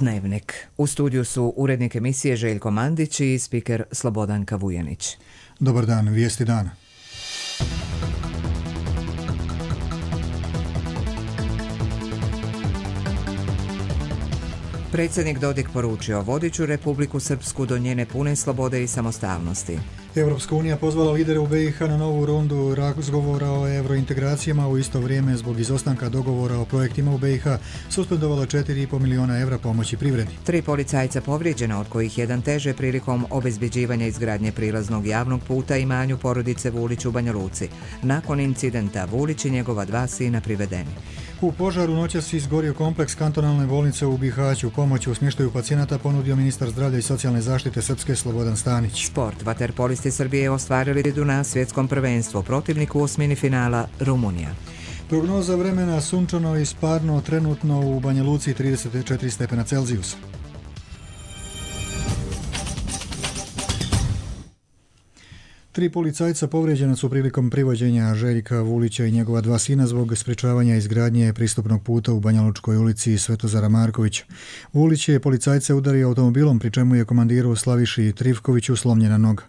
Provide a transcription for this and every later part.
Dnevnik. U studiju su urednik emisije Željko Mandić i spiker Slobodanka Vujanić. Dobar dan, vijesti dana. Predsjednik Dodik poručio: vodit ću Republiku Srpsku do njene pune slobode i samostalnosti. Europska unija pozvala lidere u BiH na novu rundu razgovora o eurointegracijama. U isto vrijeme, zbog izostanka dogovora o projektima u BiH, suspendovala 4,5 milijuna evra pomoći privredi. 3 policajca povrijeđena, od kojih jedan teže prilikom obezbjeđivanja izgradnje prilaznog javnog puta imanju porodice Vulić u Banja Luci. Nakon incidenta Vulić i njegova 2 sina privedeni. U požaru noćas izgorio kompleks kantonalne bolnice u Bihaću. Pomoć u smještaju pacijenata ponudio ministar zdravlja i socijalne zaštite Srpske Slobodan Stanić. Sport. Vaterpolisti Srbije ostvarili pobjedu na svjetskom prvenstvu. Protivnik u osmini finala Rumunija. Prognoza vremena: sunčano i sparno, trenutno u Banja Luci 34 stepena Celzijusa. Tri policajca povrijeđena su prilikom privođenja Željka Vulića i njegova 2 sina zbog sprečavanja izgradnje pristupnog puta u Banjalučkoj ulici Svetozara Markovića. Vulić je policajce udario automobilom, pri čemu je komandiru Slaviši Trivkoviću slomljena noga.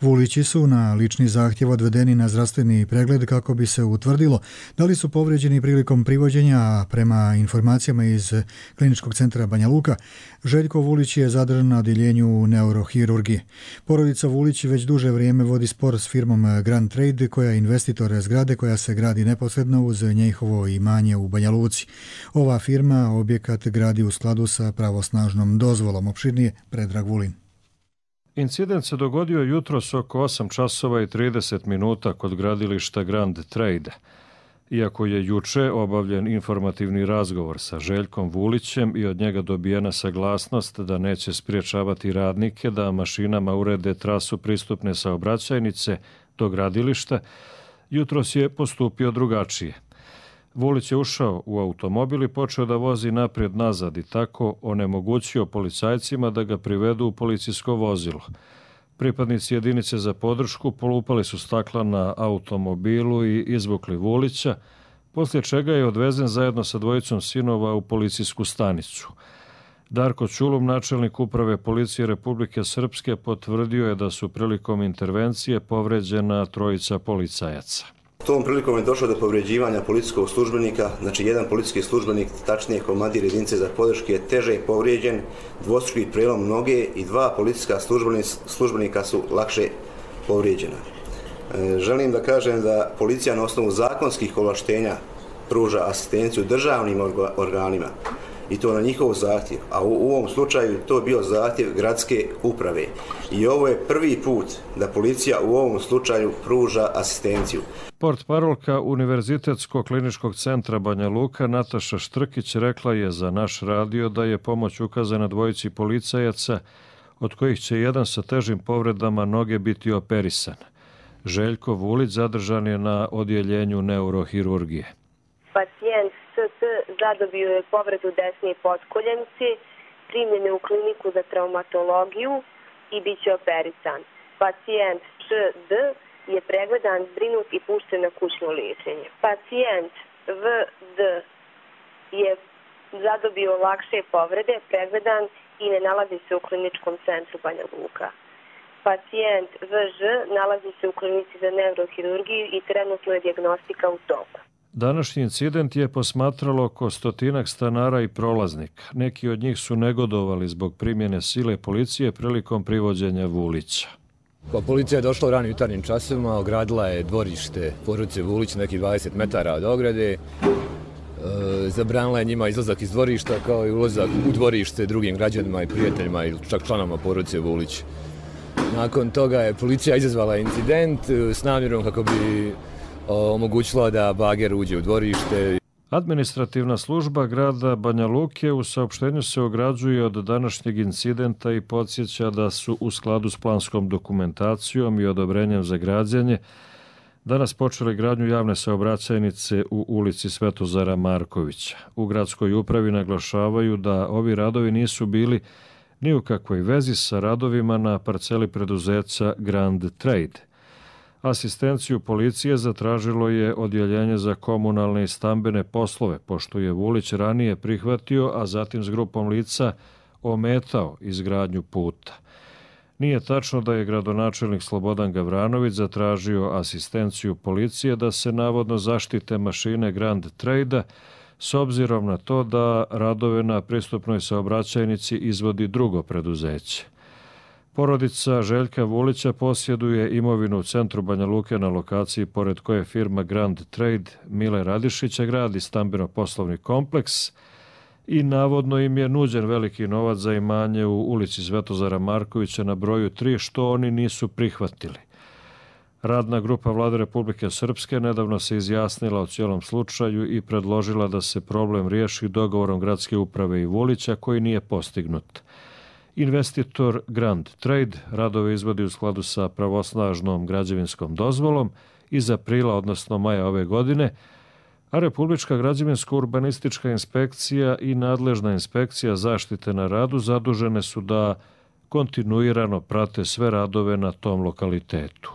Vulići su na lični zahtjev odvedeni na zdravstveni pregled kako bi se utvrdilo da li su povrijeđeni prilikom privođenja, a prema informacijama iz Kliničkog centra Banja Luka, Željko Vulić je zadržan na odjeljenju neurohirurgije. Porodica Vulić već duže vrijeme vodi spor s firmom Grand Trade, koja je investitor zgrade koja se gradi neposredno uz njihovo imanje u Banja Luci. Ova firma objekat gradi u skladu sa pravosnažnom dozvolom. Opširnije Predrag Vulin. Incident se dogodio jutros oko 8 časova i 30 minuta kod gradilišta Grand Trade. Iako je juče obavljen informativni razgovor sa Željkom Vulićem i od njega dobijena saglasnost da neće spriječavati radnike da mašinama urede trasu pristupne saobraćajnice do gradilišta, jutros je postupio drugačije. Vulić je ušao u automobil i počeo da vozi naprijed-nazad i tako onemogućio policajcima da ga privedu u policijsko vozilo. Pripadnici jedinice za podršku polupali su stakla na automobilu i izvukli Vulića, poslije čega je odvezen zajedno sa 2 sinova u policijsku stanicu. Darko Čulum, načelnik uprave policije Republike Srpske, potvrdio je da su prilikom intervencije povređena 3 policajaca. Tom prilikom je došlo do povređivanja policijskog službenika, znači jedan policijski službenik, tačnije komandir jedinice za podrške, je teže povrijeđen, dvostruki prelom noge i 2 policijska službenika su lakše povrijeđena. Želim da kažem da policija na osnovu zakonskih ovlaštenja pruža asistenciju državnim organima i to na njihov zahtjev, a u ovom slučaju to je bio zahtjev gradske uprave. I ovo je prvi put da policija u ovom slučaju pruža asistenciju. Portparolka Univerzitetskog kliničkog centra Banja Luka Nataša Štrkić rekla je za naš radio da je pomoć ukazana 2 policajaca, od kojih će jedan sa težim povredama noge biti operisan. Željko Vulić zadržan je na odjeljenju neurohirurgije. Pacijent SS zadobio je povredu desne potkoljenice, primljen je u kliniku za traumatologiju i bit će operisan. Pacijent ŠD je pregledan, zbrinut i pušten na kućno liječenje. Pacijent VD je zadobio lakše povrede, pregledan i ne nalazi se u Kliničkom centru Banja Luka. Pacijent VŽ nalazi se u klinici za neurohirurgiju i trenutno je dijagnostika u toku. Današnji incident je posmatralo oko 100 stanara i prolaznika. Neki od njih su negodovali zbog primjene sile policije prilikom privođenja Vulića. Policija je došla u ranim jutarnjim časovima, ogradila je dvorište porodice Vulić nekih 20 metara od ograde. Zabranila je njima izlazak iz dvorišta kao i ulazak u dvorište drugim građanima i prijateljima ili čak članovima porodice Vulić. Nakon toga je policija izazvala incident s namjerom kako bi omogućila da bager uđe u dvorište. Administrativna služba grada Banja Luke u saopštenju se ograđuje od današnjeg incidenta i podsjeća da su u skladu s planskom dokumentacijom i odobrenjem za građenje danas počeli gradnju javne saobraćajnice u ulici Svetozara Markovića. U gradskoj upravi naglašavaju da ovi radovi nisu bili ni u kakvoj vezi sa radovima na parceli preduzeća Grand Trade. Asistenciju policije zatražilo je Odjeljenje za komunalne i stambene poslove, pošto je Vulić ranije prihvatio, a zatim s grupom lica ometao izgradnju puta. Nije tačno da je gradonačelnik Slobodan Gavranović zatražio asistenciju policije da se navodno zaštite mašine Grand Trade-a, s obzirom na to da radove na pristupnoj saobraćajnici izvodi drugo preduzeće. Porodica Željka Vulića posjeduje imovinu u centru Banja Luke na lokaciji pored koje firma Grand Trade Mile Radišića gradi stambeno-poslovni kompleks i navodno im je nuđen veliki novac za imanje u ulici Svetozara Markovića na broju 3, što oni nisu prihvatili. Radna grupa Vlade Republike Srpske nedavno se izjasnila o cijelom slučaju i predložila da se problem riješi dogovorom gradske uprave i Vulića koji nije postignut. Investitor Grand Trade radove izvodi u skladu sa pravosnažnom građevinskom dozvolom iz aprila, odnosno maja ove godine, a Republička građevinsko-urbanistička inspekcija i nadležna inspekcija zaštite na radu zadužene su da kontinuirano prate sve radove na tom lokalitetu.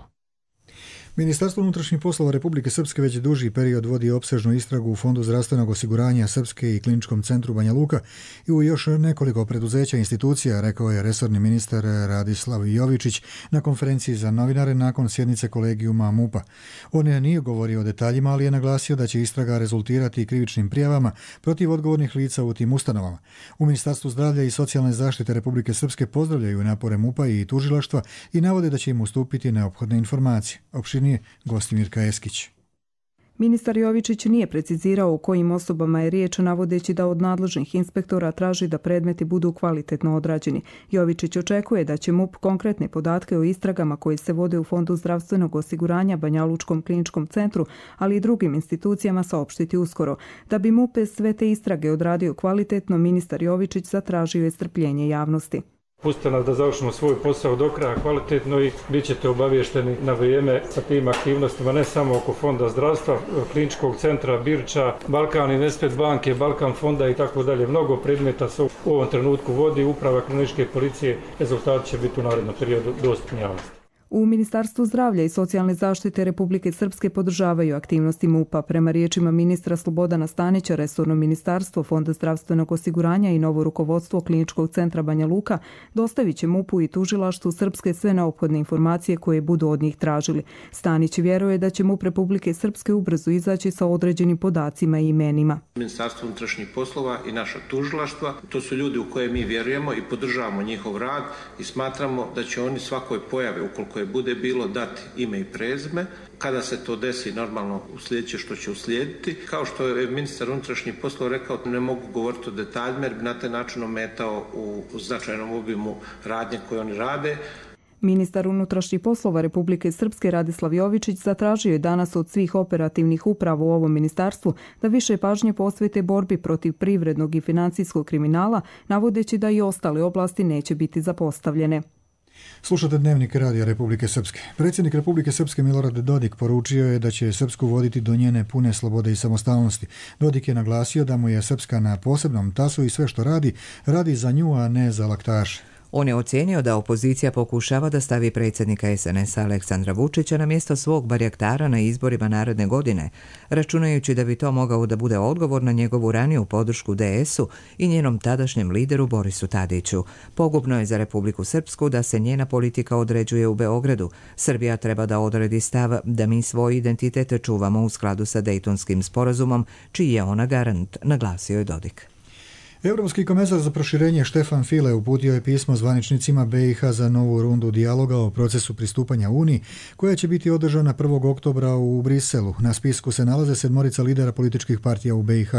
Ministarstvo unutrašnjih poslova Republike Srpske već duži period vodi opsežnu istragu u Fondu zdravstvenog osiguranja Srpske i Kliničkom centru Banja Luka i u još nekoliko preduzeća i institucija, rekao je resorni ministar Radislav Jovičić na konferenciji za novinare nakon sjednice kolegijuma MUP-a. On nije govorio o detaljima, ali je naglasio da će istraga rezultirati krivičnim prijavama protiv odgovornih lica u tim ustanovama. U Ministarstvu zdravlja i socijalne zaštite Republike Srpske pozdravljaju napore MUP-a i tužilaštva i navode da će im ustupiti neophodne informacije. Opširnije Gostimirka Eskić. Ministar Jovičić nije precizirao o kojim osobama je riječ, navodeći da od nadležnih inspektora traži da predmeti budu kvalitetno odrađeni. Jovičić očekuje da će MUP konkretne podatke o istragama koje se vode u Fondu zdravstvenog osiguranja, Banja Lučkom kliničkom centru, ali i drugim institucijama saopštiti uskoro. Da bi MUP sve te istrage odradio kvalitetno, ministar Jovičić zatražio je strpljenje javnosti. Pustite nas da završimo svoj posao do kraja kvalitetno i bit ćete obavješteni na vrijeme sa tim aktivnostima, ne samo oko Fonda zdravstva, Kliničkog centra Birča, Balkan Investment banke, Balkan fonda i tako dalje. Mnogo predmeta se u ovom trenutku vodi, uprava kriminalističke policije, rezultati će biti u narednom periodu dostupni javnosti. U Ministarstvu zdravlja i socijalne zaštite Republike Srpske podržavaju aktivnosti MUP-a. Prema riječima ministra Slobodana Stanića, resorno ministarstvo, Fonda zdravstvenog osiguranja i novo rukovodstvo Kliničkog centra Banja Luka dostavit će MUP-u i tužilaštvu Srpske sve neophodne informacije koje budu od njih tražili. Stanić vjeruje da će MUP Republike Srpske ubrzo izaći sa određenim podacima i imenima. Ministarstvo unutrašnjih poslova i naša tužilaštva, to su ljudi u koje mi vjerujemo i podržavamo njihov rad i smatramo da će oni svakoj pojavi, ukoliko bude bilo dati ime i prezime, kada se to desi normalno uslijedit će što će uslijediti. Kao što je ministar unutrašnjih poslova rekao, ne mogu govoriti o detaljima jer bi na taj način ometao u značajnom obimu radnje koje oni rade. Ministar unutrašnjih poslova Republike Srpske Radislav Jovičić zatražio je danas od svih operativnih uprava u ovom ministarstvu da više pažnje posvete borbi protiv privrednog i financijskog kriminala, navodeći da i ostale oblasti neće biti zapostavljene. Slušate Dnevnik Radija Republike Srpske. Predsjednik Republike Srpske Milorad Dodik poručio je da će Srpsku voditi do njene pune slobode i samostalnosti. Dodik je naglasio da mu je Srpska na posebnom tasu i sve što radi, radi za nju, a ne za laktaše. On je ocijenio da opozicija pokušava da stavi predsjednika SNS-a Aleksandra Vučića na mjesto svog barjaktara na izborima naredne godine, računajući da bi to mogao da bude odgovor na njegovu raniju podršku DS-u i njenom tadašnjem lideru Borisu Tadiću. Pogubno je za Republiku Srpsku da se njena politika određuje u Beogradu. Srbija treba da odredi stav da mi svoj identitet čuvamo u skladu sa Dejtonskim sporazumom, čiji je ona garant, naglasio je Dodik. Europski komesar za proširenje Štefan File uputio je pismo zvaničnicima BiH za novu rundu dijaloga o procesu pristupanja Uniji, koja će biti održana 1. oktobra u Briselu. Na spisku se nalaze 7 lidera političkih partija u BiH: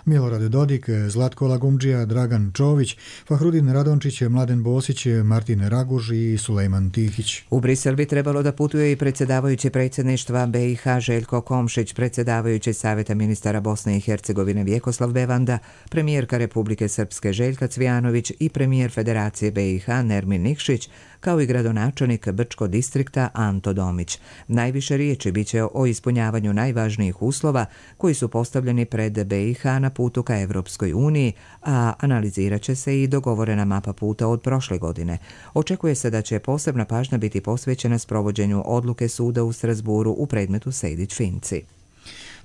Milorad Dodik, Zlatko Lagumdžija, Dragan Čović, Fahrudin Radončić, Mladen Bosić, Martin Raguž i Sulejman Tihić. U Brisel bi trebalo da putuje i predsjedavajući predsjedništva BiH Željko Komšić, predsjedavajući Savjeta ministara Bosne i Hercegovine Vjekoslav Bevanda, premijerka Republike Republike Srpske Željka Cvijanović i premijer Federacije BiH Nermin Nikšić, kao i gradonačelnik Brčko distrikta Anto Domić. Najviše riječi biće o ispunjavanju najvažnijih uslova koji su postavljeni pred BiH na putu ka Evropskoj uniji, a analizirat će se i dogovorena mapa puta od prošle godine. Očekuje se da će posebna pažnja biti posvećena sprovođenju odluke suda u Strasburu u predmetu Sejdić-Finci.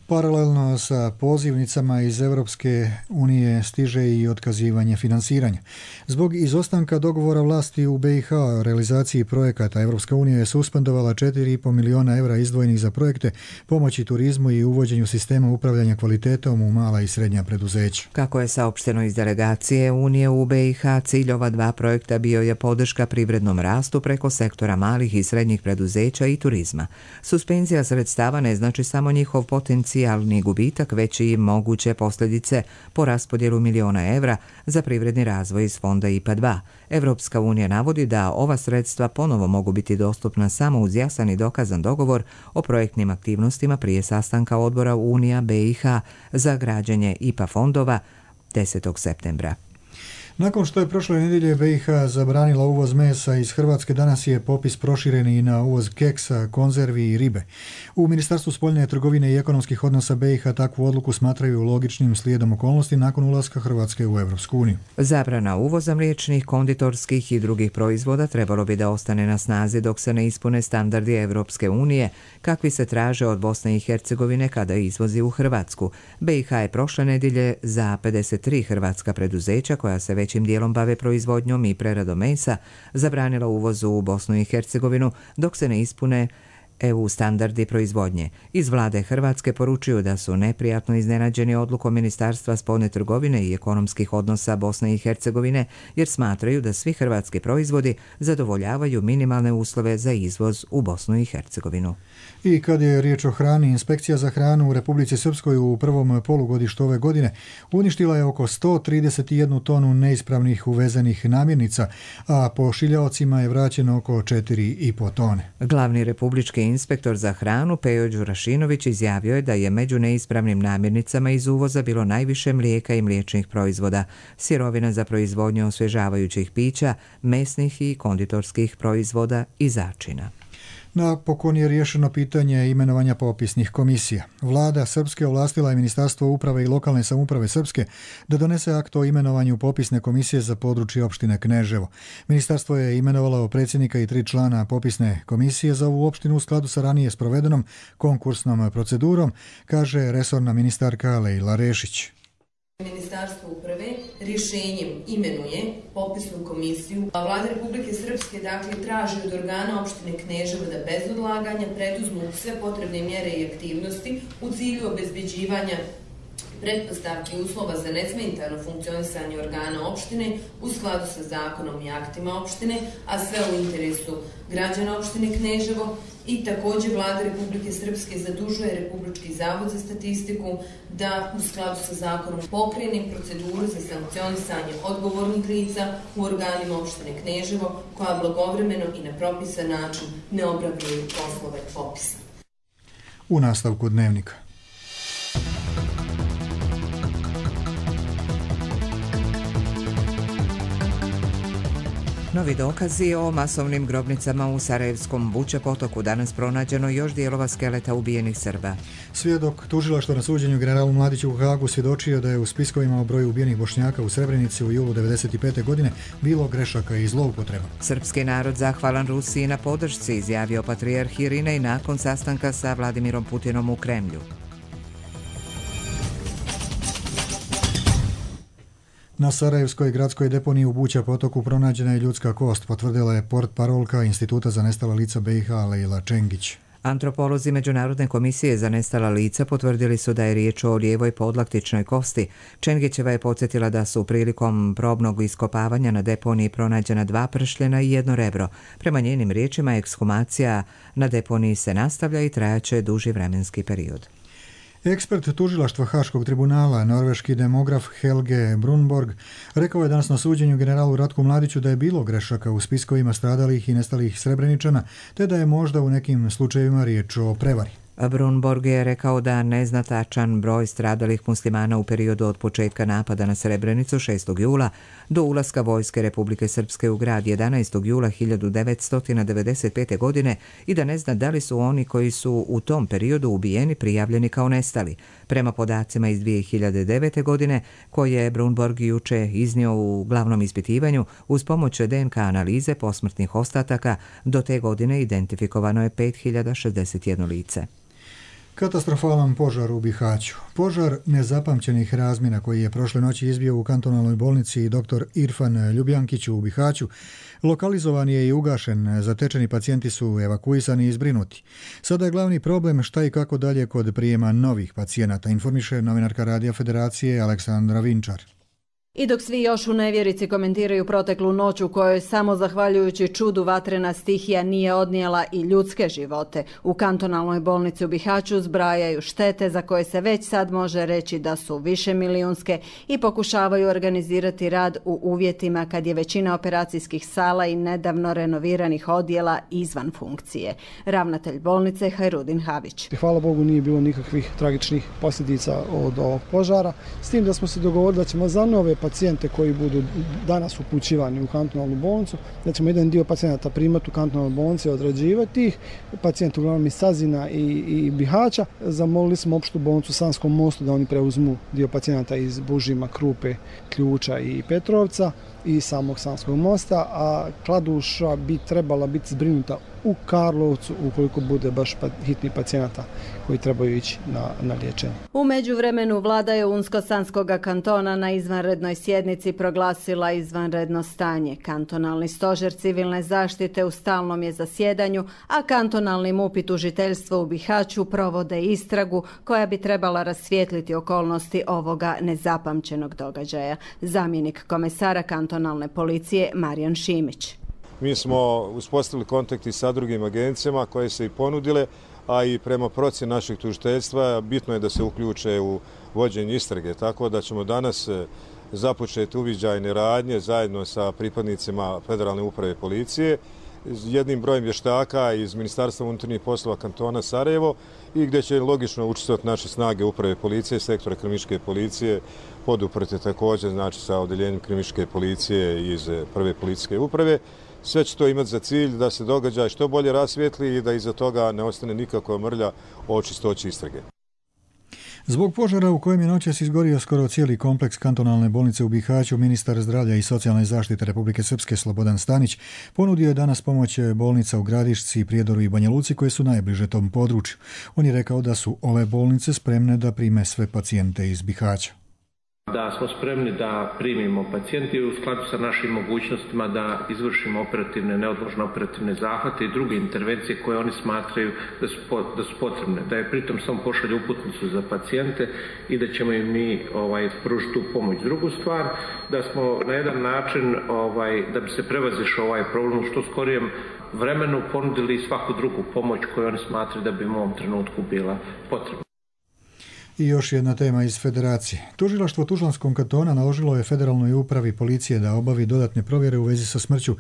Paralelno sa pozivnicama iz Europske unije stiže i otkazivanje financiranja. Zbog izostanka dogovora vlasti u BiH o realizaciji projekata, Europska unija je suspendovala 4,5 miliona evra izdvojenih za projekte pomoći turizmu i uvođenju sistema upravljanja kvalitetom u mala i srednja preduzeća. Kako je saopšteno iz delegacije Unije u BiH, cilj ova dva projekta bio je podrška privrednom rastu preko sektora malih i srednjih preduzeća i turizma. Suspenzija sredstava ne znači samo njihov potencijalni gubitak, već i moguće posljedice po raspodjelu miliona evra za privredni razvoj iz fonda IPA 2. Evropska unija navodi da ova sredstva ponovo mogu biti dostupna samo uz jasan i dokazan dogovor o projektnim aktivnostima prije sastanka odbora Unija BiH za građenje IPA fondova 10. septembra. Nakon što je prošle nedjelje BiH zabranila uvoz mesa iz Hrvatske, danas je popis proširen i na uvoz keksa, konzervi i ribe. U Ministarstvu spoljne trgovine i ekonomskih odnosa BiH takvu odluku smatraju logičnim slijedom okolnosti nakon ulaska Hrvatske u Evropsku uniju. Zabrana uvoza mliječnih, konditorskih i drugih proizvoda trebalo bi da ostane na snazi dok se ne ispune standardi Evropske unije, kakvi se traže od Bosne i Hercegovine kada izvozi u Hrvatsku. BiH je prošle nedjelje za 53 hrvatska preduzeća koja se većim dijelom bave proizvodnjom i preradom mesa zabranila uvozu u Bosnu i Hercegovinu dok se ne ispune EU standardi proizvodnje. Iz vlade Hrvatske poručuju da su neprijatno iznenađeni odlukom Ministarstva spoljne trgovine i ekonomskih odnosa Bosne i Hercegovine jer smatraju da svi hrvatski proizvodi zadovoljavaju minimalne uslove za izvoz u Bosnu i Hercegovinu. I kad je riječ o hrani, Inspekcija za hranu u Republici Srpskoj u prvom polugodištu ove godine uništila je oko 131 tonu neispravnih uvezenih namirnica, a pošiljaocima je vraćeno oko 4,5 tone. Glavni republički inspektor za hranu Pejo Đurašinović izjavio je da je među neispravnim namirnicama iz uvoza bilo najviše mlijeka i mliječnih proizvoda, sirovina za proizvodnju osvježavajućih pića, mesnih i konditorskih proizvoda i začina. Napokon je riješeno pitanje imenovanja popisnih komisija. Vlada Srpske ovlastila je Ministarstvo uprave i lokalne samouprave Srpske da donese akt o imenovanju popisne komisije za područje opštine Kneževo. Ministarstvo je imenovalo predsjednika i 3 člana popisne komisije za ovu opštinu u skladu sa ranije sprovedenom konkursnom procedurom, kaže resorna ministarka Lejla Rešić. Ministarstvo uprave rješenjem imenuje popisnu komisiju, a Vlada Republike Srpske traži od organa opštine Kneževo da bez odlaganja preduzmu sve potrebne mjere i aktivnosti u cilju obezbeđivanja pretpostavki i uslova za nesmetano funkcionisanje organa opštine u skladu sa zakonom i aktima opštine, a sve u interesu građana opštine Kneževo. I također Vlada Republike Srpske zadužuje Republički zavod za statistiku da u skladu sa zakonom pokrene proceduru za sankcionisanje odgovornih lica u organima opštine Kneževo koja blagovremeno i na propisan način ne obavljaju poslove popisa. U nastavku dnevnika. Novi dokazi o masovnim grobnicama u Sarajevskom Buče potoku. Danas pronađeno još dijelova skeleta ubijenih Srba. Svjedok tužilaštva na suđenju generalu Mladiću u Hagu svjedočio da je u spiskovima o broju ubijenih Bošnjaka u Srebrenici u julu 1995. godine bilo grešaka i zloupotreba. Srpski narod zahvalan Rusiji na podršci, izjavio patrijarh Irinej nakon sastanka sa Vladimirom Putinom u Kremlju. Na Sarajevskoj gradskoj deponiji u Buća potoku pronađena je ljudska kost, potvrdila je portparolka Instituta za nestala lica BiH Lejla Čengić. Antropolozi Međunarodne komisije za nestala lica potvrdili su da je riječ o lijevoj podlaktičnoj kosti. Čengićeva je podsjetila da su prilikom probnog iskopavanja na deponiji pronađena 2 pršljena i 1 rebro. Prema njenim riječima, ekshumacija na deponiji se nastavlja i trajaće duži vremenski period. Ekspert tužilaštva Haškog tribunala, norveški demograf Helge Brunborg, rekao je danas na suđenju generalu Ratku Mladiću da je bilo grešaka u spiskovima stradalih i nestalih Srebreničana, te da je možda u nekim slučajevima riječ o prevari. Brunborg je rekao da ne zna tačan broj stradalih muslimana u periodu od početka napada na Srebrenicu 6. jula do ulaska vojske Republike Srpske u grad 11. jula 1995. godine i da ne zna da li su oni koji su u tom periodu ubijeni prijavljeni kao nestali. Prema podacima iz 2009. godine, koje je Brunborg juče iznio u glavnom ispitivanju, uz pomoć DNK analize posmrtnih ostataka, do te godine identifikovano je 5061 lice. Katastrofalan požar u Bihaću. Požar nezapamćenih razmjera koji je prošle noći izbio u kantonalnoj bolnici dr. Irfan Ljubljankić u Bihaću, lokalizovan je i ugašen. Zatečeni pacijenti su evakuisani i zbrinuti. Sada je glavni problem šta i kako dalje kod prijema novih pacijenata, informiše novinarka Radija Federacije Aleksandra Vinčar. I dok svi još u nevjerici komentiraju proteklu noć u kojoj samo zahvaljujući čudu vatrena stihija nije odnijela i ljudske živote, u kantonalnoj bolnici u Bihaću zbrajaju štete za koje se već sad može reći da su višemilijunske i pokušavaju organizirati rad u uvjetima kad je većina operacijskih sala i nedavno renoviranih odjela izvan funkcije. Ravnatelj bolnice Hajrudin Havić. Hvala Bogu nije bilo nikakvih tragičnih posljedica od ovog požara, s tim da smo se dogovorili da ćemo za nove pacijente koji budu danas upućivani u kantonalnu bolnicu, da ćemo jedan dio pacijenata primati u kantonalnu bolnicu i odrađivati ih, pacijenti uglavnom iz Sazina i Bihaća. Zamolili smo opštu bolnicu u Sanskom mostu da oni preuzmu dio pacijenata iz Bužima, Krupe, Ključa i Petrovca i samog Sanskog mosta, a Kladuša bi trebala biti zbrinuta u Karlovcu ukoliko bude baš hitni pacijenata koji trebaju ići na liječenje. U međuvremenu vlada je Unsko-Sanskoga kantona na izvanrednoj sjednici proglasila izvanredno stanje. Kantonalni stožer civilne zaštite u stalnom je zasjedanju, a kantonalni MUP i tužiteljstvo u Bihaću provode istragu koja bi trebala rasvijetliti okolnosti ovoga nezapamćenog događaja. Zamjenik komesara kantonalne policije Marijan Šimić. Mi smo uspostavili kontakti sa drugim agencijama koje se i ponudile, a i prema procjeni našeg tužiteljstva bitno je da se uključe u vođenje istrage, tako da ćemo danas započeti uviđajne radnje zajedno sa pripadnicima Federalne uprave policije, jednim brojem vještaka iz Ministarstva unutarnjih poslova kantona Sarajevo i gdje će logično učestvovati naše snage uprave policije, sektora kriminalističke policije, poduprte također znači sa odeljenjem kriminalističke policije iz prve policijske uprave. Sve će to imati za cilj da se događaj što bolje rasvijetli i da iza toga ne ostane nikakva mrlja o čistoći istrage. Zbog požara u kojem je noćas izgorio skoro cijeli kompleks kantonalne bolnice u Bihaću, ministar zdravlja i socijalne zaštite Republike Srpske Slobodan Stanić ponudio je danas pomoć bolnica u Gradišci, Prijedoru i Banja Luci koje su najbliže tom području. On je rekao da su ove bolnice spremne da prime sve pacijente iz Bihaća. Da smo spremni da primimo pacijente i u skladu sa našim mogućnostima da izvršimo neodložne operativne zahvate i druge intervencije koje oni smatraju da su potrebne. Da je pritom samo pošalje uputnicu za pacijente i da ćemo im mi pružiti tu pomoć. Drugu stvar, da smo na jedan način, da bi se prevazišao ovaj problem u što skorijem vremenu ponudili svaku drugu pomoć koju oni smatraju da bi u ovom trenutku bila potrebna. I još jedna tema iz Federacije. Tužilaštvo Tuzlanskog kantona naložilo je Federalnoj upravi policije da obavi dodatne provjere u vezi sa smrću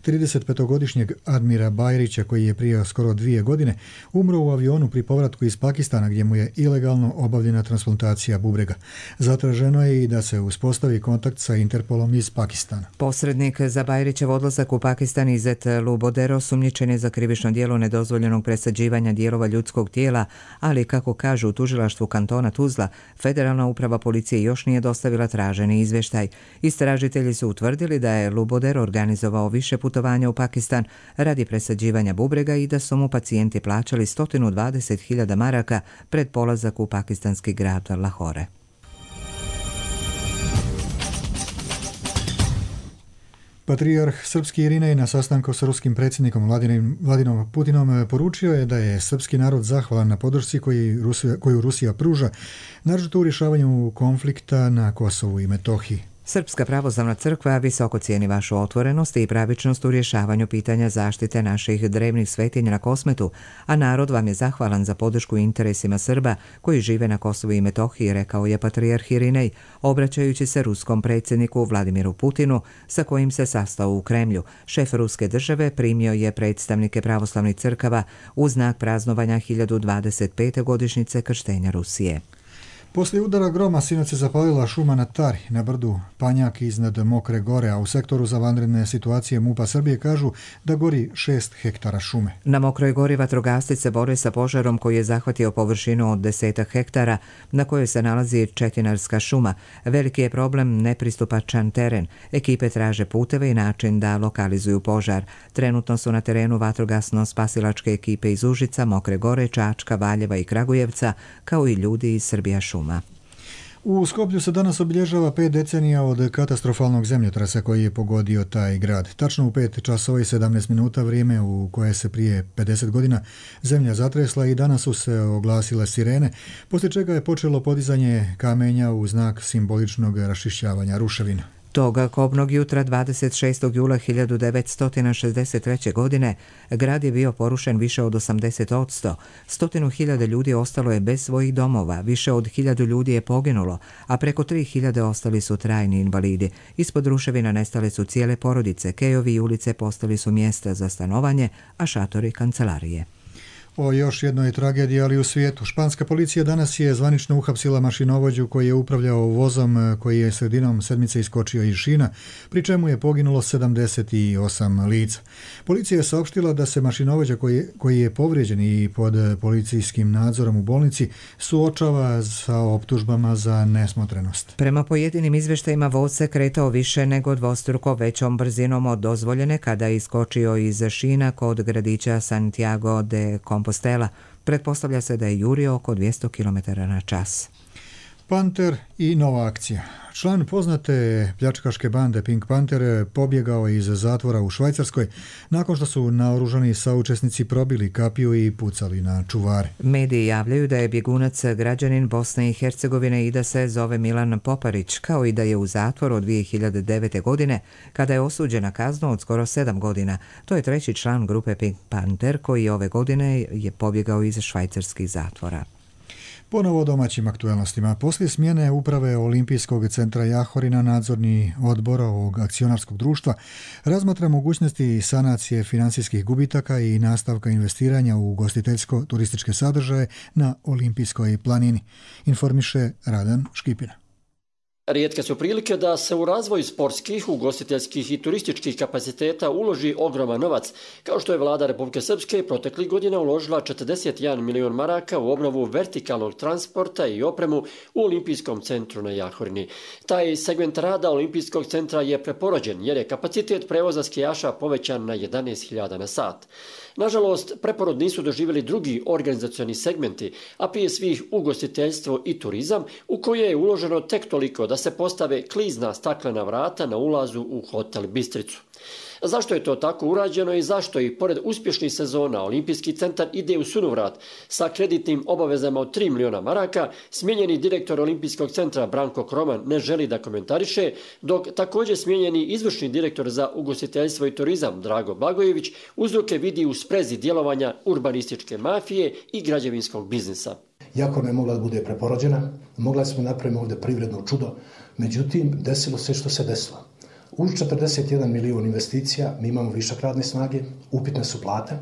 35-godišnjeg Admira Bajrića koji je prije skoro 2 godine umro u avionu pri povratku iz Pakistana gdje mu je ilegalno obavljena transplantacija bubrega. Zatraženo je i da se uspostavi kontakt sa Interpolom iz Pakistana. Posrednik za Bajrićev odlazak u Pakistan Izet Lubodero osumnjičen je za krivično djelo nedozvoljenog presađivanja dijelova ljudskog tijela, ali kako kažu u tužilaštvu kantona Tuzla, Federalna uprava policije još nije dostavila traženi izvještaj. Istražitelji su utvrdili da je Lubodero organizovao više putovanja u Pakistan radi presađivanja bubrega i da su mu pacijenti plaćali 120.000 maraka pred polazak u pakistanski grad Lahore. Patrijarh srpski Irinej na sastanku s ruskim predsjednikom Vladinom Putinom poručio je da je srpski narod zahvalan na podršci koju Rusija pruža, naročito u rješavanju konflikta na Kosovu i Metohiji. Srpska pravoslavna crkva visoko cijeni vašu otvorenost i pravičnost u rješavanju pitanja zaštite naših drevnih svetinja na Kosmetu, a narod vam je zahvalan za podršku interesima Srba koji žive na Kosovu i Metohiji, rekao je patrijarh Irinej, obraćajući se ruskom predsjedniku Vladimiru Putinu, sa kojim se sastao u Kremlju. Šef ruske države primio je predstavnike pravoslavnih crkava u znak praznovanja 1025. godišnjice krštenja Rusije. Poslije udara groma sinoć se zapalila šuma na Tari, na brdu Panjak iznad Mokre gore, a u sektoru za vanredne situacije MUP-a Srbije kažu da gori 6 hektara šume. Na Mokroj gori vatrogasci se bore sa požarom koji je zahvatio površinu od 10 hektara na kojoj se nalazi četinarska šuma. Veliki je problem nepristupačan teren. Ekipe traže puteve i način da lokalizuju požar. Trenutno su na terenu vatrogasno-spasilačke ekipe iz Užica, Mokre gore, Čačka, Valjeva i Kragujevca, kao i ljudi iz Srbija šuma. U Skoplju se danas obilježava 5 decenija od katastrofalnog zemljotresa koji je pogodio taj grad. Tačno u 5 časova i 17 minuta, vrijeme u koje se prije 50 godina zemlja zatresla, i danas su se oglasile sirene, poslije čega je počelo podizanje kamenja u znak simboličnog raščišćavanja ruševina. Toga kobnog jutra 26. jula 1963. godine grad je bio porušen više od 80%. 100.000 ljudi ostalo je bez svojih domova, više od 1.000 ljudi je poginulo, a preko 3.000 ostali su trajni invalidi. Ispod ruševina nestale su cijele porodice, kejovi i ulice postali su mjesta za stanovanje, a šatori kancelarije. O još jednoj tragediji, ali u svijetu. Španska policija danas je zvanično uhapsila mašinovođu koji je upravljao vozom koji je sredinom sedmice iskočio iz šina, pri čemu je poginulo 78 lica. Policija je saopštila da se mašinovođa koji je povrijeđen i pod policijskim nadzorom u bolnici suočava sa optužbama za nesmotrenost. Prema pojedinim izvještajima voz se kretao više nego dvostruko većom brzinom od dozvoljene kada je iskočio iz šina kod gradića Santiago de Compostela. Pretpostavlja se da je jurio oko 200 km/h. Panter i nova akcija. Član poznate pljačkaške bande Pink Panther pobjegao iz zatvora u Švajcarskoj nakon što su naoružani saučesnici probili kapiju i pucali na čuvare. Mediji javljaju da je bjegunac građanin Bosne i Hercegovine i da se zove Milan Poparić, kao i da je u zatvoru od 2009. godine kada je osuđen na kaznu od skoro 7 godina. To je treći član grupe Pink Panther koji ove godine je pobjegao iz švajcarskih zatvora. Ponovo o domaćim aktualnostima. Poslije smjene uprave Olimpijskog centra Jahorina, nadzorni odbor ovog akcionarskog društva razmatra mogućnosti sanacije financijskih gubitaka i nastavka investiranja u ugostiteljsko-turističke sadržaje na Olimpijskoj planini, informiše Radan Škipina. Rijetke su prilike da se u razvoj sportskih, ugostiteljskih i turističkih kapaciteta uloži ogroman novac, kao što je vlada Republike Srpske proteklih godina uložila 41 milion maraka u obnovu vertikalnog transporta i opremu u Olimpijskom centru na Jahorini. Taj segment rada Olimpijskog centra je preporođen jer je kapacitet prevoza skijaša povećan na 11.000 na sat. Nažalost, preporod nisu doživjeli drugi organizacioni segmenti, a prije svih ugostiteljstvo i turizam, u koje je uloženo tek toliko da se postave klizna staklena vrata na ulazu u hotel Bistricu. Zašto je to tako urađeno i zašto i pored uspješnih sezona Olimpijski centar ide u sunovrat sa kreditnim obavezama od 3 miliona maraka, smijenjeni direktor Olimpijskog centra Branko Kroman ne želi da komentariše, dok također smijenjeni izvršni direktor za ugostiteljstvo i turizam Drago Blagojević uzroke vidi u sprezi djelovanja urbanističke mafije i građevinskog biznisa. Jakorna je mogla da bude preporođena, mogla smo napraviti ovdje privredno čudo, međutim desilo se što se desilo. Uz 41 milion investicija mi imamo višak radne snage, upitne su plate,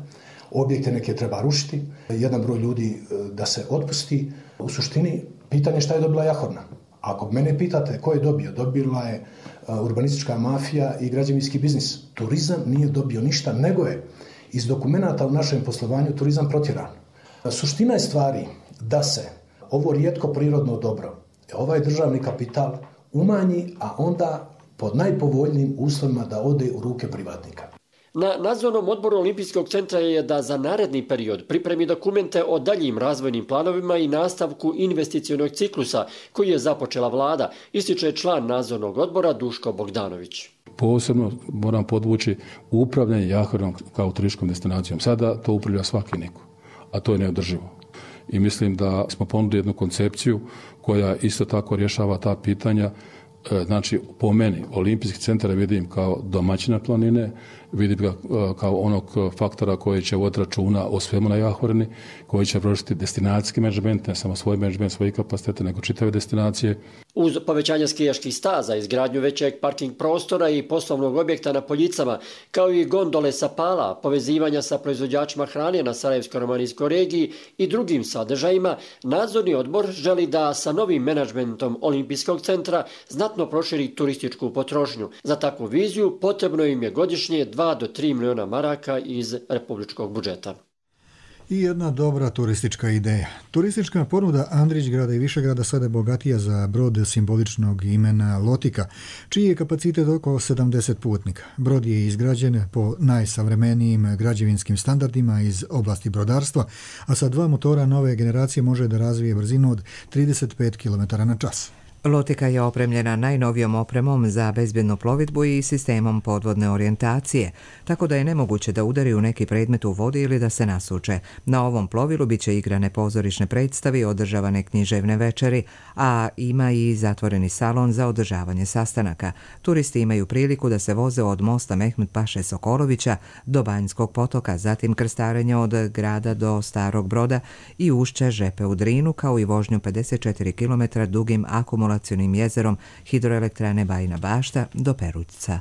objekte neke treba rušiti, jedan broj ljudi da se otpusti. U suštini, pitanje šta je dobila Jahorna. Ako mene pitate ko je dobio, dobila je urbanistička mafija i građevinski biznis. Turizam nije dobio ništa, nego je iz dokumenata u našem poslovanju turizam protjeran. Suština je stvari da se ovo rijetko prirodno dobro, ovaj državni kapital umanji, a onda pod najpovoljnijim uslovima da ode u ruke privatnika. Na nadzornom odboru Olimpijskog centra je da za naredni period pripremi dokumente o daljim razvojnim planovima i nastavku investicionog ciklusa koji je započela vlada, ističe član nadzornog odbora Duško Bogdanović. Posebno moram podvući upravljanje Jahorinom kao turističkom destinacijom. Sada to upravlja svaki niko, a to je neodrživo. I mislim da smo ponudili jednu koncepciju koja isto tako rješava ta pitanja Znači, po meni, olimpijski centar vidim kao domaćina planine, vidim ga kao onog faktora koji će voditi računa o svemu na Jahorni, koji će vršiti destinacijski menadžment, ne samo svoj menadžment, svoji kapacitete, nego čitave destinacije. Uz povećanje skijaških staza, izgradnju većeg parking prostora i poslovnog objekta na Poljicama, kao i gondole sa Pala, povezivanja sa proizvođačima hrane na Sarajevsko-romanijskoj regiji i drugim sadržajima, nadzorni odbor želi da sa novim menadžmentom Olimpijskog centra znatno proširi turističku potrošnju. Za takvu viziju potrebno im je godišnje 2 do 3 miliona maraka iz republičkog budžeta. I jedna dobra turistička ideja. Turistička ponuda Andrićgrada i Višegrada sada je bogatija za brod simboličnog imena Lotika, čiji je kapacitet oko 70 putnika. Brod je izgrađen po najsavremenijim građevinskim standardima iz oblasti brodarstva, a sa 2 motora nove generacije može da razvije brzinu od 35 km/h. Lotika je opremljena najnovijom opremom za bezbjednu plovidbu i sistemom podvodne orijentacije, tako da je nemoguće da udari u neki predmet u vodi ili da se nasuče. Na ovom plovilu bit će igrane pozorišne predstavi, održavane književne večeri, a ima i zatvoreni salon za održavanje sastanaka. Turisti imaju priliku da se voze od mosta Mehmed Paše Sokolovića do Banjskog potoka, zatim krstarenje od grada do Starog Broda i ušće Žepe u Drinu, kao i vožnju 54 km dugim akumulacijom jezerom hidroelektrane Bajina Bašta do Perućca.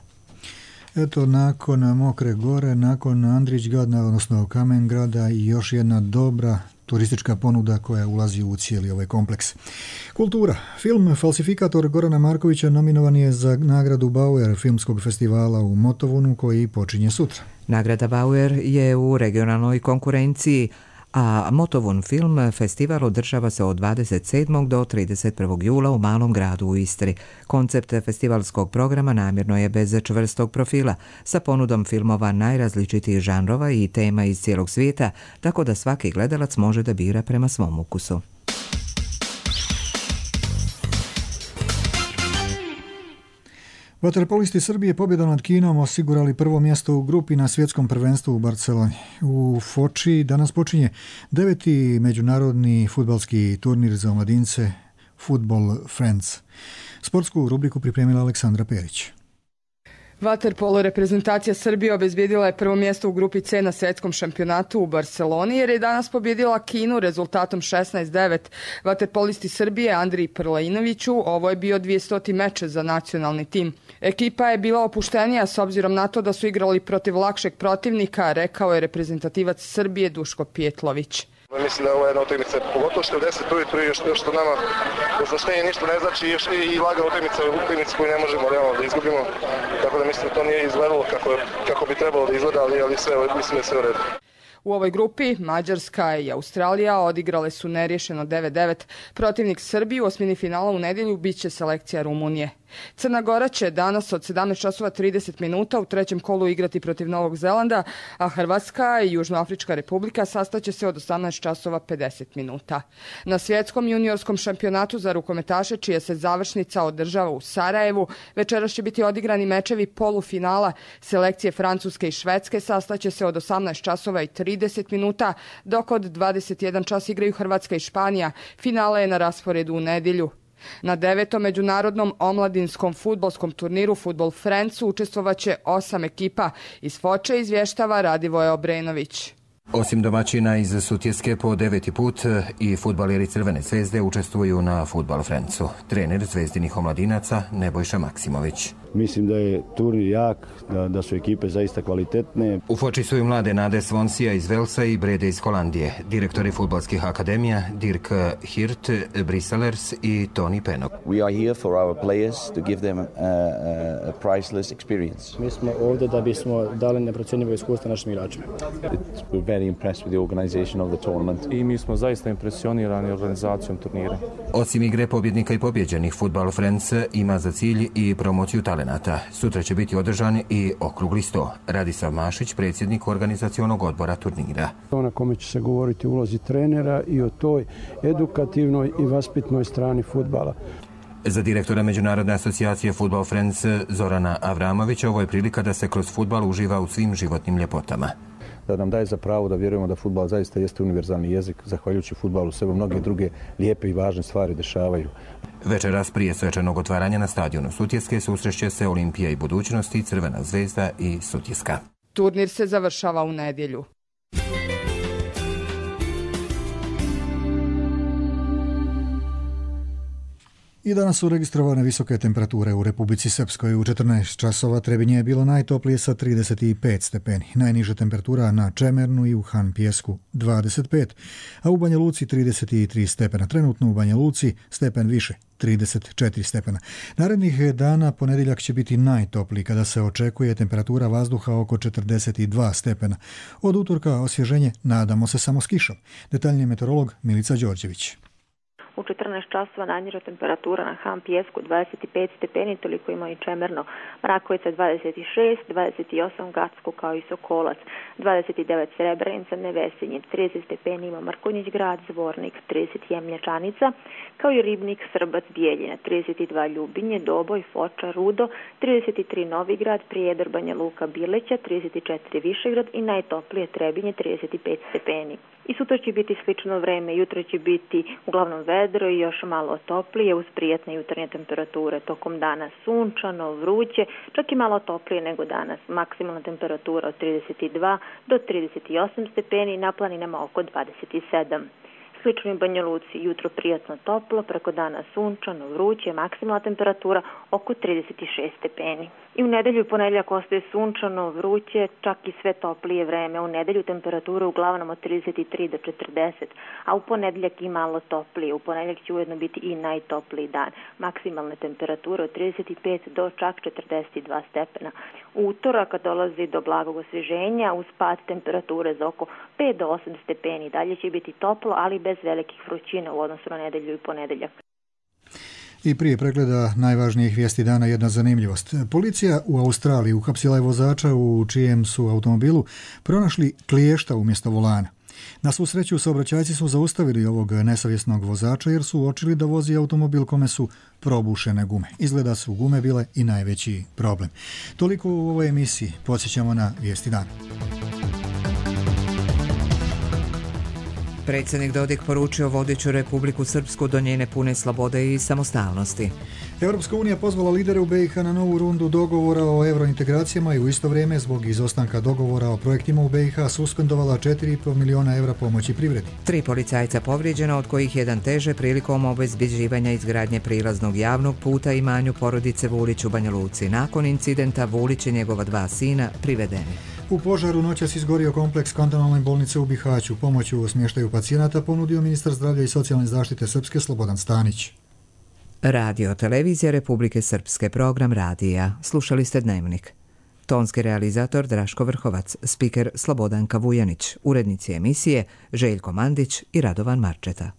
Eto, nakon Mokre gore, nakon Andrićgrada, odnosno Kamengrada, i još jedna dobra turistička ponuda koja ulazi u cijeli ovaj kompleks. Kultura. Film Falsifikator Gorana Markovića nominovan je za nagradu Bauer filmskog festivala u Motovunu, koji počinje sutra. Nagrada Bauer je u regionalnoj konkurenciji, a Motovun film festival održava se od 27. do 31. jula u Malom gradu u Istri. Koncept festivalskog programa namjerno je bez čvrstog profila, sa ponudom filmova najrazličitijih žanrova i tema iz cijelog svijeta, tako da svaki gledalac može da bira prema svom ukusu. Vaterpolisti Srbije pobjedom nad Kinom osigurali prvo mjesto u grupi na svjetskom prvenstvu u Barceloni. U Foči danas počinje 9. međunarodni fudbalski turnir za omladince Football Friends. Sportsku rubriku pripremila Aleksandra Perić. Vaterpolo reprezentacija Srbije obezbijedila je prvo mjesto u grupi C na svjetskom šampionatu u Barceloni, jer je danas pobjedila Kinu rezultatom 16-9. Vaterpolisti Srbije Andriji Prlajinoviću ovo je bio 200. meč za nacionalni tim. Ekipa je bila opuštenija s obzirom na to da su igrali protiv lakšeg protivnika, rekao je reprezentativac Srbije Duško Pijetlović. Mislim da je ovo jedna utakmica, pogotovo što je u 10 ujutru i što nama izlaštenje ništa ne znači i laga utakmica koju ne možemo realno da izgubimo. Tako da mislim da to nije izgledalo kako bi trebalo da izgleda, ali sve, mislim da je sve u redu. U ovoj grupi Mađarska i Australija odigrale su neriješeno 9-9. Protivnik Srbiji u osmini finala u nedjelju biće selekcija Rumunije. Crna Gora će danas od 17:30 u trećem kolu igrati protiv Novog Zelanda, a Hrvatska i Južnoafrička republika sastaće se od 18:50. Na svjetskom juniorskom šampionatu za rukometaše, čija se završnica održava u Sarajevu, večeras će biti odigrani mečevi polufinala. Selekcije Francuske i Švedske sastaće se od 18:30, dok od 21 čas igraju Hrvatska i Španija. Finale je na rasporedu u nedjelju. Na 9. međunarodnom omladinskom fudbalskom turniru Football Friends učestvovaće 8 ekipa. Iz Foče izvještava Radivoje Obrenović. Osim domaćina iz Sutjeske po 9. put i fudbaleri Crvene zvezde učestvuju na Football Friendsu. Trener zvezdinih omladinaca Nebojša Maksimović. Mislim da je turnir jak, da su ekipe zaista kvalitetne. U Foči su i mlade Nade Svonsija iz Velsa i Brede iz Holandije, direktori fudbalskih akademija Dirk Hirt, Briselers i Toni Penok. We are here for our players to give them a priceless experience. Mi smo ovdje da bismo dali neprocjenjivo iskustvo našim igračima. We're very impressed with the organization of the tournament. I mi smo zaista impresionirani organizacijom turnira. Osim igre pobjednika i pobjeđenih, Football Friends ima za cilj i promociju talenata. Sutra će biti održan i okrugli sto. Radislav Mašić, predsjednik organizacionog odbora turnira. Na kome će se govoriti o ulozi trenera i o toj edukativnoj i vaspitnoj strani fudbala. Za direktora Međunarodne asocijacije Football Friends Zorana Avramovića ovo je prilika da se kroz fudbal uživa u svim životnim ljepotama. da nam daje za pravo da vjerujemo da fudbal zaista jeste univerzalni jezik. Zahvaljujući fudbalu se mnoge druge lijepe i važne stvari dešavaju. Večeras prije svečanog otvaranja na stadionu Sutjeske susreće se Olimpija i Budućnost i Crvena zvezda i Sutjeska. Turnir se završava u nedjelju. I danas su registrovane visoke temperature u Republici Srpskoj. U 14 časova Trebinje je bilo najtoplije sa 35 stepeni. Najniža temperatura na Čemernu i u Han Pijesku 25, a u Banja Luci 33 stepena. Trenutno u Banja Luci stepen više, 34 stepena. Narednih dana ponedjeljak će biti najtopliji kada se očekuje temperatura vazduha oko 42 stepena. Od utorka osvježenje nadamo se samo s kišom. Detaljniji meteorolog Milica Đorđević. U 14 časova najniža temperatura na Han Pijesku 25 stepeni, toliko ima i Čemerno. Mrakovica 26, 28 Gacko kao i Sokolac, 29 Srebrenica, Nevesinje, 30 stepeni ima Mrkonjić grad, Zvornik, 30 Jemljačanica, kao i Ribnik, Srbac, Bijeljina, 32 Ljubinje, Doboj, Foča, Rudo, 33 Novigrad, Prijedor, Banja Luka, Bileća, 34 Višegrad i najtoplije Trebinje, 35 stepeni. I sutra će biti slično vreme, jutro će biti uglavnom vedro i još malo toplije uz prijatne jutarnje temperature. Tokom dana sunčano, vruće, čak i malo toplije nego danas. Maksimalna temperatura od 32 do 38 stepeni, na planinama oko 27. Slično u Banja Luci, jutro prijatno toplo, preko dana sunčano, vruće, maksimalna temperatura oko 36 stepeni. I u nedelju i ponedjeljak ostaje sunčano, vruće, čak i sve toplije vreme. U nedelju temperatura uglavnom od 33 do 40, a u ponedjeljak i malo toplije. U ponedjeljak će ujedno biti i najtopliji dan. Maksimalne temperature od 35 do čak 42 stepena. U utorak kad dolazi do blagog osvježenja, uz pad temperature za oko 5 do 8 stepeni. Dalje će biti toplo, ali bez velikih vrućina u odnosu na nedelju i ponedjeljak. I prije pregleda najvažnijih vijesti dana jedna zanimljivost. Policija u Australiji uhapsila je vozača u čijem su automobilu pronašli kliješta umjesto volana. Na svu sreću saobraćajci su zaustavili ovog nesavjesnog vozača jer su uočili da vozi automobil kome su probušene gume. Izgleda su gume bile i najveći problem. Toliko u ovoj emisiji. Podsjećamo na vijesti dana. Predsjednik Dodik poručio vodeću Republiku Srpsku do njene pune slobode i samostalnosti. Europska unija pozvala lidere u BiH na novu rundu dogovora o eurointegracijama i u isto vrijeme zbog izostanka dogovora o projektima u BiH suspendovala 4,5 milijuna evra pomoći privredi. 3 policajca povrijeđena, od kojih jedan teže prilikom obezbjeđivanja izgradnje prilaznog javnog puta imanju porodice Vulić u Banja Luci. Nakon incidenta Vulić i njegova 2 sina privedeni. U požaru noćas izgorio kompleks kantonalne bolnice u Bihaću. Pomoć u smještaju pacijenata ponudio ministar zdravlja i socijalne zaštite Srpske Slobodan Stanić. Radio Televizija Republike Srpske, program radija. Slušali ste Dnevnik. Tonski realizator Draško Vrhovac, spiker Slobodanka Vujanić, urednici emisije Željko Mandić i Radovan Marčeta.